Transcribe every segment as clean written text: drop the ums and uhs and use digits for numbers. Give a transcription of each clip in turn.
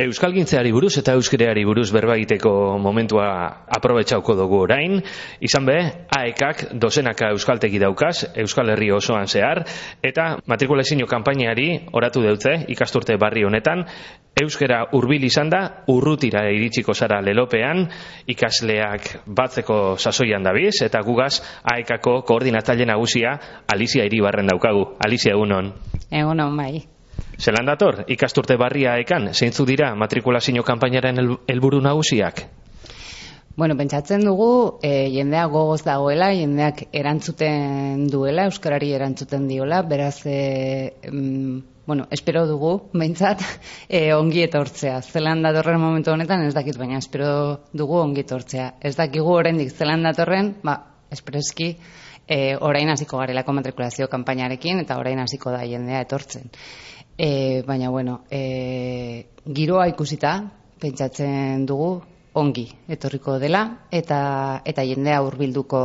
Euskalgintzeari buruz eta euskereari buruz berba egiteko momentua aprobetxauko dugu orain. Izan be, AEKak dozenaka euskaltegi daukaz, Euskal Herri osoan zehar, eta matrikulazio kanpainari oratu deutze ikasturte barri honetan, euskera hurbil izan da, urrutira iritsiko zara lelopean, ikasleak batzeko sasoian dabiz, eta gugaz AEKako koordinatzaile nagusia Alizia Iribarren daukagu. Alizia, egunon. Egunon, bai. Zelan dator, ikasturte barria AEKan, zeintzu dira matrikulazio kanpainaren helburu nagusiak? Bueno, pentsatzen dugu, jendeak gogoz dagoela, jendeak erantzuten duela, euskarari erantzuten diola, beraz, espero dugu, behintzat, ongi etortzea. Zelan datorren momentu honetan ez dakit, baina espero dugu ongi etortzea. Ez dakigu oraindik zelan datorren, espreski, orain hasiko garelako matrikulazio kanpainarekin, eta orain hasiko da jendea etortzen. Baina, giroa ikusita, pentsatzen dugu, ongi etorriko dela, eta jendea hurbilduko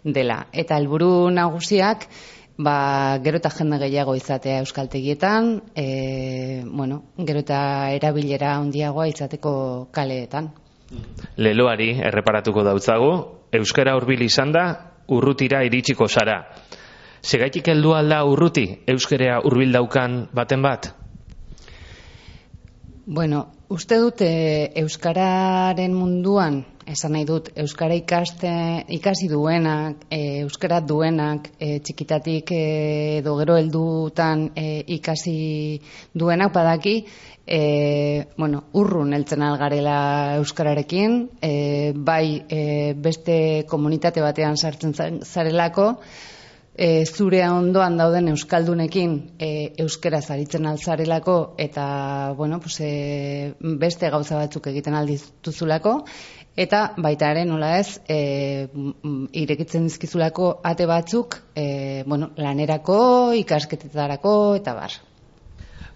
dela. Eta helburu nagusiak, gero eta jende gehiago izatea euskaltegietan, gero eta erabilera handiagoa izateko kaleetan. Leloari erreparatuko dautzagu, euskara hurbil izan da, urrutira iritsiko zara. Segaitik heldu alda urruti, euskera hurbil daukan baten bat? Uste dut euskararen munduan, esan nahi dut, euskara ikasi duenak, euskara duenak, txikitatik edo gero heldutan ikasi duenak badaki, urrun heltzen algarela euskararekin, beste komunitate batean sartzen zarelako, zure ondoan dauden euskaldunekin euskera zaritzen altzarelako eta beste gauza batzuk egiten aldituzulako eta baita ere nola ez irekitzen dizkizulako ate batzuk lanerako, ikasketetarako eta bar.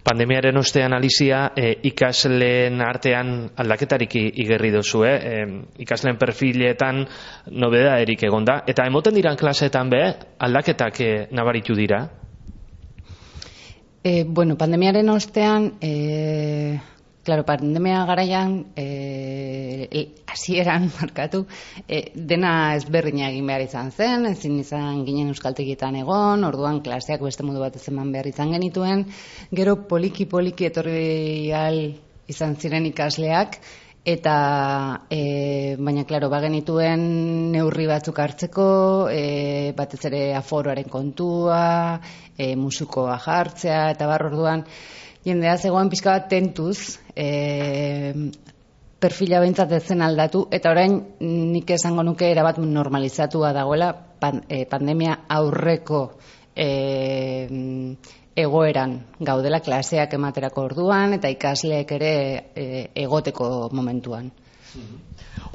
Pandemiaren ostean, Alizia, ikasleen artean aldaketarik igerri dozu, ikasleen perfiletan nobeda erik egonda, eta emoten diran klaseetan aldaketak nabaritu dira? Pandemiaren ostean, pandemia garaian, hasieran markatu, dena ezberdina egin behar izan zen, ezin izan ginen euskaltegietan egon, orduan klaseak beste modu bat eman behar izan genituen, gero poliki etorri izan ziren ikasleak, eta baina, bagenituen neurri batzuk hartzeko, batez ere aforoaren kontua, musukoa jartzea, eta orduan, jendea zegoen pixka bat tentuz, perfila behintzat ez zen aldatu, eta orain nik esango nuke erabat normalizatua dagoela pandemia aurreko egoeran gaudela klaseak ematerako orduan, eta ikasleek ere egoteko momentuan.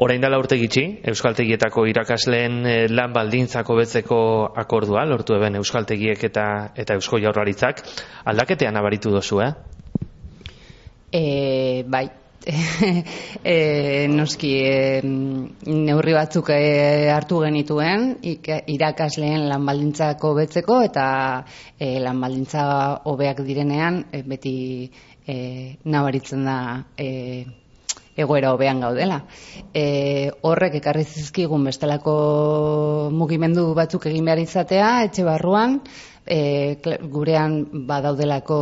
Orain dela urte gitxi, euskaltegietako irakasleen lan baldintzako betzeko akordua, lortu eben euskaltegiek eta Eusko Jaurlaritzak, aldaketean nabaritu dozu, Bai. Noski neurri batzuk hartu genituen irakasleen lan baldintzako betzeko eta lan baldintza hobeak direnean beti nabaritzen da egoera hobean gaudela. Horrek ekarri zizkigun bestelako mugimendu batzuk egin behar izatea, etxe barruan, gurean badaudelako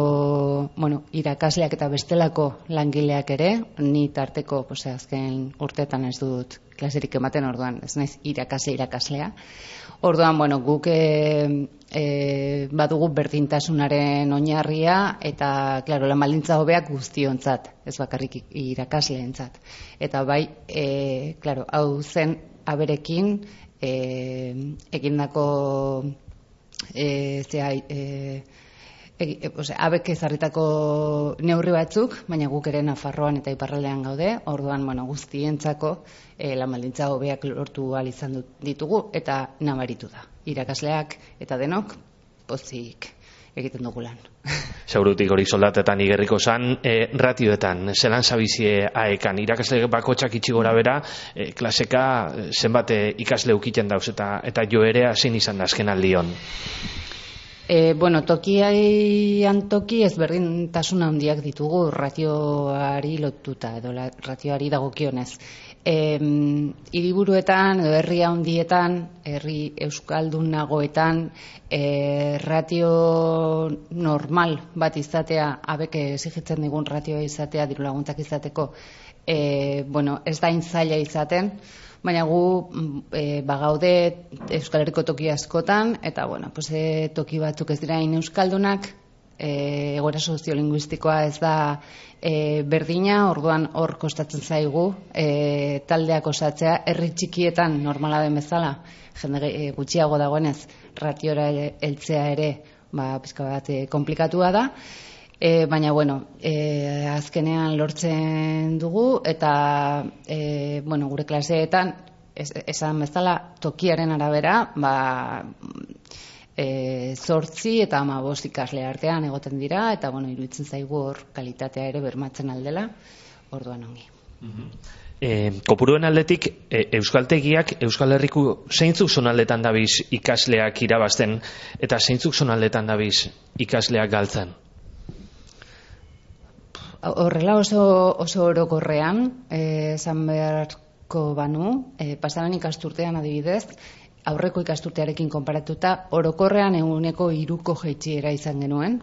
irakasleak eta bestelako langileak ere, ni tarteko azken urteetan ez dut klaserik ematen orduan, ez naiz irakaslea. Orduan, guk badugu berdintasunaren oinarria eta, lan baldintza hobeak guztiontzat, ez bakarrik irakasleentzat. Eta bai, hau zen aberekin egindako abek ezarritako neurri batzuk, baina guk ere Nafarroan eta iparraldean gaude, orduan guztientzako lan baldintza hobeak lortu ahal izan ditugu eta nabaritu da. Irakasleak eta denok pozik egiten dugu lan. Segurutik hori soldatetan igerriko zan, ratioetan, zelan zabizie AEKan, irakasle bakotxak itxi gora bera, klaseka zenbat ikasle ukiten dauz eta jo ere zein izan da azken aldion? Tokian toki ezberdintasun handiak ditugu ratioari lotuta, edo ratioari dagokionez. Hiriburuetan edo herri handietan, herri euskaldunagoetan, ratio normal bat izatea, abek exigitzen digun ratioa izatea, diru laguntzak izateko, ez da zaila izaten, baina gu bagaude Euskal Herriko toki askotan, eta toki batzuk ez dira euskaldunak, egoera soziolinguistikoa ez da berdina, orduan hor kostatzen zaigu taldeak osatzea, herri txikietan normala den bezala, jende gutxiago dagoenez, ratiora heltzea ere pizka bat konplikatua da, baina azkenean lortzen dugu, eta gure klaseetan esan bezala tokiaren arabera 8 eta 15 ikasle artean egoten dira, eta iruditzen zaigu hor kalitatea ere bermatzen aldela, orduan ongi. Kopuruen aldetik, euskaltegiak Euskal Herriko zeintzuk zonaldetan dabiz ikasleak irabazten, eta zeintzuk zonaldetan dabiz ikasleak galtzen? Horrela oso orokorrean, esan beharko banu, pasaran ikasturtean adibidez, aurreko ikasturtearekin konparatuta, orokorrean 3% jaitsiera izan genuen,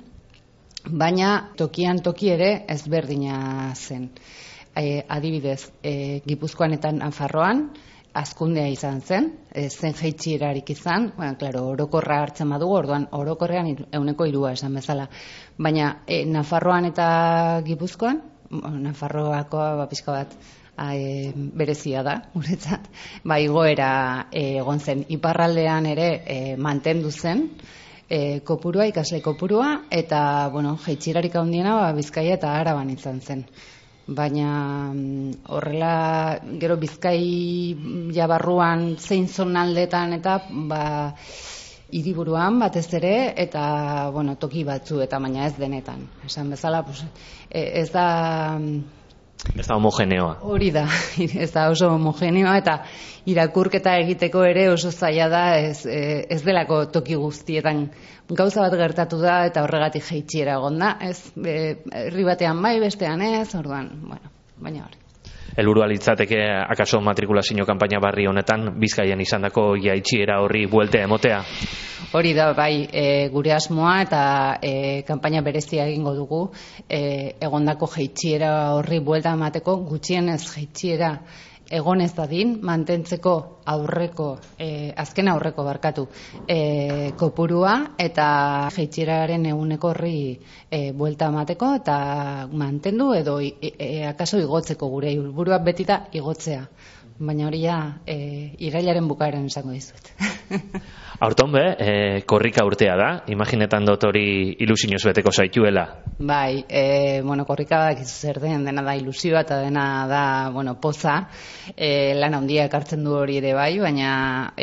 baina tokian toki ere ezberdina zen. Adibidez, Gipuzkoan eta Nafarroan, hazkundea izan zen, zen jaitsierarik izan, orokorra hartzen badugu, orduan orokorrean 3% esan bezala. Baina Nafarroan eta Gipuzkoan, Nafarroakoa pixka bat berezia da, guretzat, igoera egon zen. Iparraldean ere mantendu zen kopurua, ikasle kopurua, eta jaitsierarik handiena Bizkaia eta Araban izan zen. Baina horrela gero Bizkaia barruan zein zonaldetan eta hiriburuan batez ere, eta toki batzu, eta baina ez denetan. Esan bezala, ez da... Ez da homogeneoa. Hori da, ez da oso homogeneoa, eta irakurketa egiteko ere oso zaila da, ez delako toki guztietan gauza bat gertatu da, eta horregatik jaitsiera egon da, herri batean bestean ez, orduan, baina hori. Helburua litzateke akaso matrikulazio kanpaina barri honetan Bizkaian izandako jaitsiera horri bueltea emotea? Hori da, gure asmoa, eta kanpaina berezia egingo dugu, egondako jaitsiera horri buelta emateko, gutxienez jaitsiera egon ez dadin, mantentzeko azken aurreko kopurua, eta jaitsieraren 1% horri buelta emateko, eta mantendu edo akaso igotzeko, gure helburua beti da igotzea. Baina hori irailaren bukaeran esango dizuet. Aurton korrika urtea da, imaginetan dut hori ilusioz beteko zaituela. Korrika zer dena da ilusioa eta dena da poza, lan handia ekartzen du hori ere baina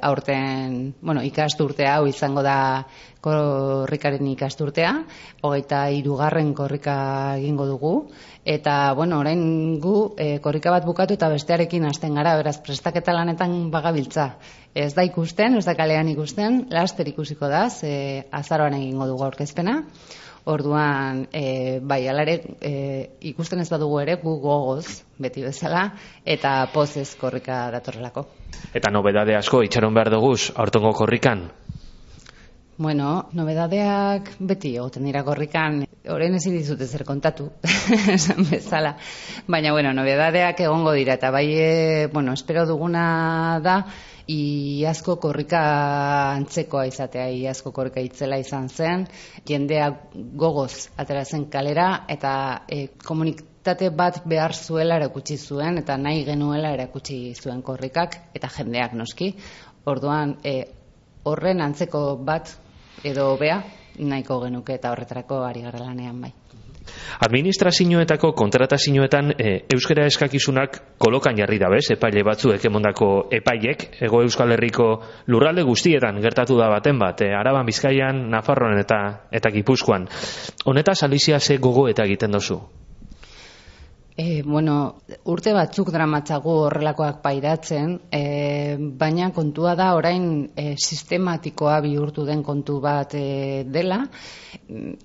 aurten ikasturtea hau izango da korrikaren ikasturtea, 23. korrika egingo dugu, eta orain gu korrika bat bukatu eta bestearekin hasten gara, beraz prestaketa lanetan bagabiltza. Ez da ikusten, ez da kalean ikusten, laster ikusiko da, azaroan egingo dugu aurkezpena. Orduan, alare ikusten ez badugu ere, gu gogoz, beti bezala, eta pozez korrika datorrelako. Eta nobedade asko itxaron behar duguz, aurtengo korrikan? Nobedadeak beti egoten dira korrikan, orain ezin dizute zer kontatu, esan bezala. Baina, nobedadeak egongo dira, eta espero duguna da, iazko korrika antzekoa izatea, iazko korrika itzela izan zen, jendea gogoz atera zen kalera, eta komunitate bat behar zuela erakutsi zuen, eta nahi genuela erakutsi zuen korrikak, eta jendeak noski. Orduan, horren antzeko bat edo hobea nahiko genuke, eta horretarako ari gara lanean bai. Administrazioetako kontratazioetan euskara eskakizunak kolokan jarri dabez, epaile batzuek emondako epaiek, Hego Euskal Herriko lurralde guztietan gertatu da baten bat, Araban, Bizkaian, Nafarroan eta Gipuzkoan. Honetaz Alizia ze gogo eta egiten dozu? Urte batzuk dramatzagu horrelakoak pairatzen, baina kontua da orain sistematikoa bihurtu den kontu bat dela,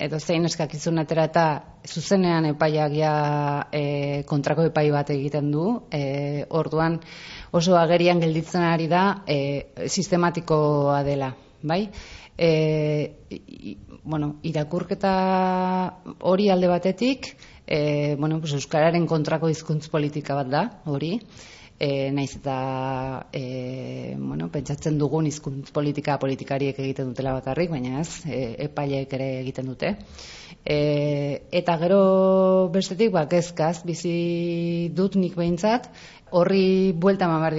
edo zein eskakizun atera eta zuzenean epaiak kontrako epai bat egiten du, orduan oso agerian gelditzen ari da sistematikoa dela, bai? Irakurketa hori alde batetik, euskararen kontrako hizkuntz politika bat da, hori, naiz eta pentsatzen dugun hizkuntz politikariek egiten dutela bakarrik, baina ez, epaileek ere egiten dute. Eta gero bestetik, kezkaz, bizi dut nik behintzat, horri buelta eman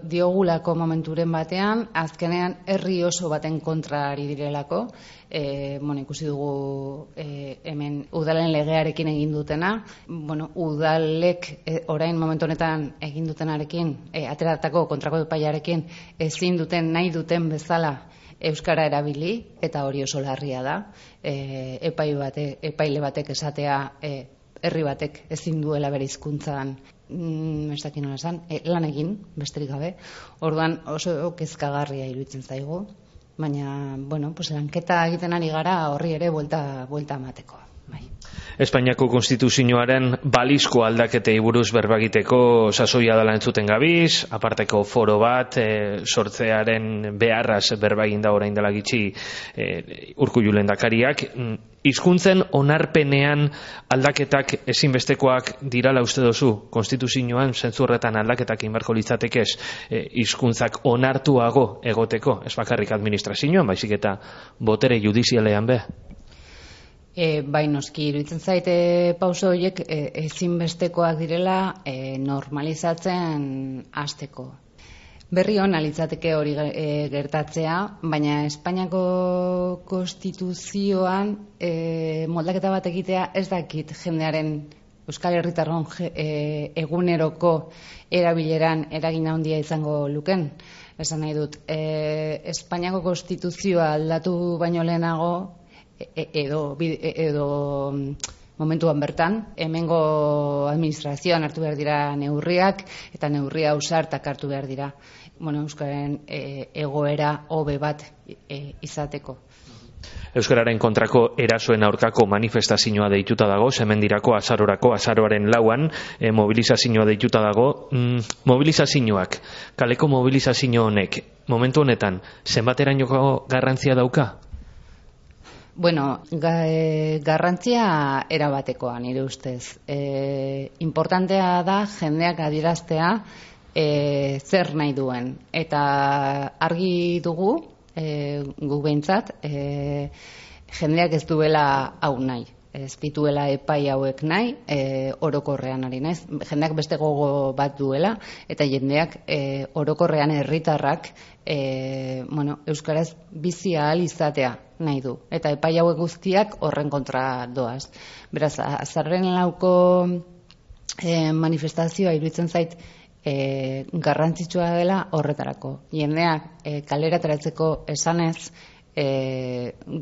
diogulako momenturen batean, azkenean herri oso baten kontra ari direlako, ikusi dugu hemen udalen legearekin egin dutena, udalek orain momentu honetan egin dutenarekin, ateratako kontrako epaiarekin ezin duten nahi duten bezala euskara erabili, eta hori oso larria da, epaile batek esatea herri batek ezin duela bere hizkuntzan lan egin, besterik gabe. Orduan oso kezkagarria iruditzen zaigu, baina, lanketa egiten ari gara horri ere buelta emateko. Espainiako konstituzioaren balizko aldaketei buruz berba egiteko sasoia dela entzuten gabiz, aparteko foro bat sortzearen beharraz berba egin da orain dela gitxi Urkullu lehendakariak. Hizkuntzen onarpenean aldaketak ezinbestekoak dirala uste duzu? Konstituzioan zentzu horretan aldaketak egin beharko litzatekez hizkuntzak onartuago egoteko, ez bakarrik administrazioan, baizik eta botere judizialean be? Bai, noski, iruditzen zaite pauso horiek ezinbestekoak direla normalizatzen hasteko. Berri hona litzateke hori gertatzea, baina Espainiako konstituzioan moldaketa bat egitea ez dakit jendearen Euskal Herritarron eguneroko erabileran eragin handia izango luken. Esan nahi dut, Espainiako konstituzioa aldatu baino lehenago, edo momentuan bertan, hemengo administrazioan hartu behar dira neurriak, eta neurria ausartak hartu behar dira, Euskararen egoera hobe bat izateko. Euskararen kontrako erasoen aurkako manifestazioa deituta dago, Semendirako azaroaren 4 mobilizazioa deituta dago. Mobilizazioak, kaleko mobilizazio honek, momentu honetan, zenbaterainoko garrantzia dauka? Garrantzia erabatekoa, nire ustez. Importantea da jendeak adieraztea zer nahi duen. Eta argi dugu, gu behintzat, jendeak ez duela hau nahi. Ez dituela epai hauek nahi, orokorrean ari naiz. Jendeak beste gogo bat duela, eta jendeak orokorrean herritarrak euskaraz bizi ahal izatea nahi du. Eta epai hauek guztiak horren kontra doaz. Beraz, azaroaren 4 manifestazioa iruditzen zait garrantzitsua dela horretarako. Jendeak kalera ateratzeko esanez,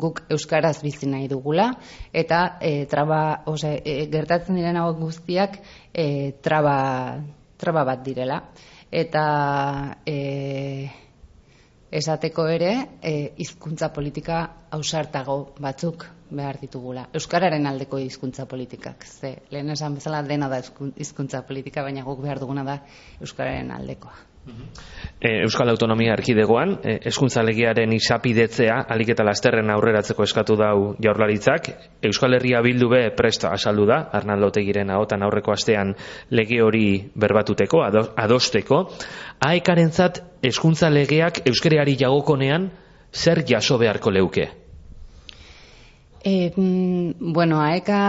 guk euskaraz bizi nahi dugula, eta gertatzen diren hauek guztiak traba bat direla. Eta esateko ere, hizkuntza politika ausartago batzuk behar ditugula. Euskararen aldeko hizkuntza politikak. Ze, lehen esan bezala dena da hizkuntza politika, baina guk behar duguna da euskararen aldekoa. Euskal Autonomia Erkidegoan, hezkuntza legearen izapidetzea ahalik eta lasterren aurreratzeko eskatu dau Jaurlaritzak. Euskal Herria Bildu be prest azaldu da, Arnaldo Otegiren ahotan aurreko astean lege hori berbatuteko, adosteko. AEKarentzat hezkuntza legeak euskarari jagokonean zer jaso beharko leuke? AEKa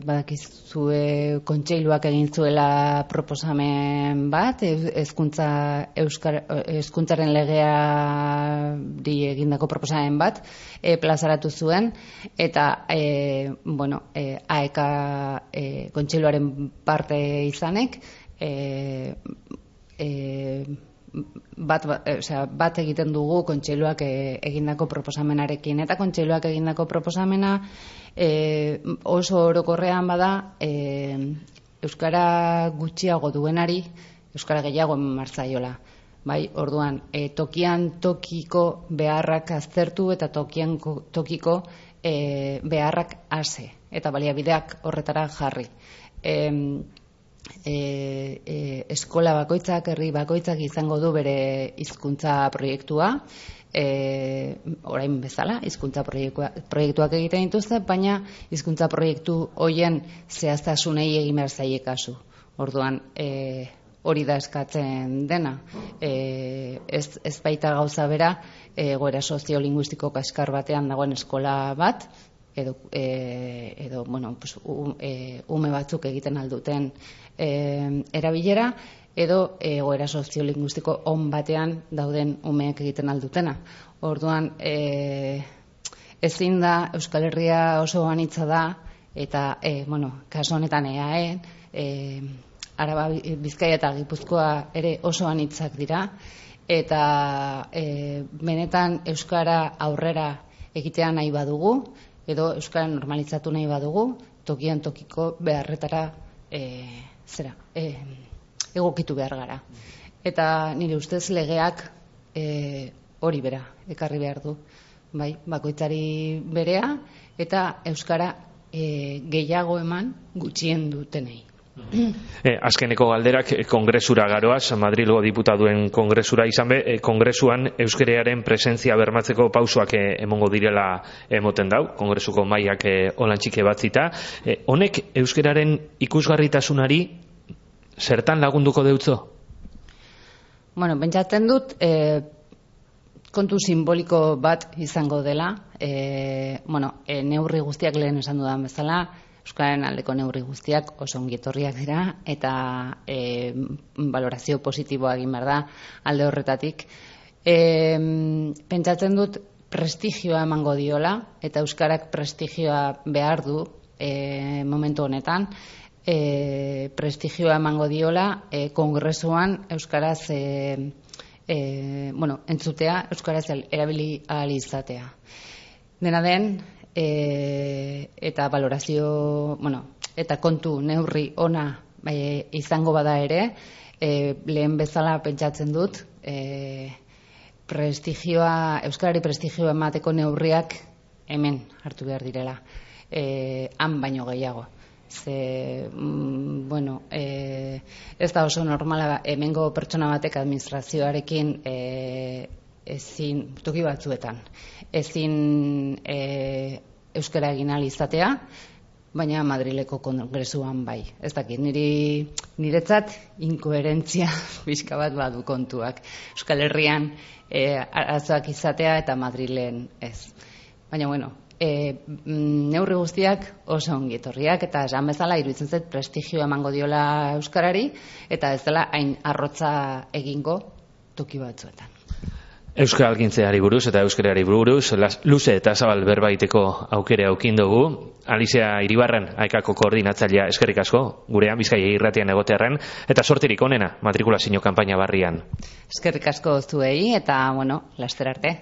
badakizue kontseiluak egin zuela proposamen bat, hezkuntzaren legeari egindako proposamen bat plazaratu zuen, eta AEKa kontseiluaren parte izanek bat egiten dugu kontseiluak egindako proposamenarekin, eta kontseiluak egindako proposamena oso orokorrean bada euskara gutxiago duenari euskara gehiago eman martzaiola. Bai, orduan, tokian tokiko beharrak aztertu eta tokian tokiko beharrak hase eta baliabideak horretara jarri. Eskola bakoitzak, herri bakoitzak izango du bere hizkuntza proiektua, orain bezala, hizkuntza proiektuak egiten dituzte, baina hizkuntza proiektu hoien zehaztasunei egin behar zaie kasu. Orduan, hori da eskatzen dena. Ez baita gauza bera, egoera soziolinguistiko kaskar batean dagoen eskola bat, edo ume batzuk egiten alduten erabilera, edo egoera soziolinguistiko on batean dauden umeek egiten aldutena. Orduan, ezin da, Euskal Herria oso anitza da, eta, kasu honetan EAE, Araba, Bizkaia eta Gipuzkoa ere oso anitzak dira, eta benetan Euskara aurrera egitea nahi badugu, edo Euskara normalizatu nahi badugu, tokian tokiko beharretara egokitu behar gara. Eta nire ustez legeak hori bera, ekarri behar du. Bai, bakoitzari berea, eta Euskara gehiago eman gutxien dutenei. Azkeneko galderak kongresura garoaz, Madrilgo diputatuen kongresura izan be, kongresuan euskararen presentzia bermatzeko pausoak emongo direla emoten dau, kongresuko mahaiak olantxike batzita. Honek euskararen ikusgarritasunari zertan lagunduko deutzo? Pentsatzen dut kontu simboliko bat izango dela, neurri guztiak lehen esan dudan bezala, Euskararen aldeko neurri guztiak oso ongi etorriak dira, eta valorazio positiboa egin behar da alde horretatik. Pentsatzen dut prestigioa emango diola, eta Euskarak prestigioa behar du momentu honetan, prestigioa emango diola kongresuan Euskaraz entzutea, Euskaraz erabili ahal izatea. Dena den, eta valorazio, eta kontu neurri ona izango bada ere, lehen bezala pentsatzen dut, Euskarari prestigioa emateko neurriak hemen hartu behar direla, han baino gehiago. Ez da oso normala hemengo pertsona batek administrazioarekin ezin, toki batzuetan, ezin euskara egin ahal izatea, baina Madrileko kongresuan bai. Ez dakit, niretzat inkoherentzia pixka bat badu kontuak. Euskal Herrian arazoak izatea eta Madrilen ez. Baina, neurri guztiak oso ongi etorriak, eta esan bezala iruditzen zait prestigioa emango diola euskarari, eta ez dela hain arrotza egingo toki batzuetan. Euskalgintzeari buruz eta euskarari buruz luze eta zabal berbaiteko aukera aukin dugu. Alizia Iribarren, AEKako koordinatzailea, eskerrik asko, gurean Bizkaia irratian egotearren, eta sortirik onena matrikulazio kanpaina barrian. Eskerrik asko zuei, eta laster arte.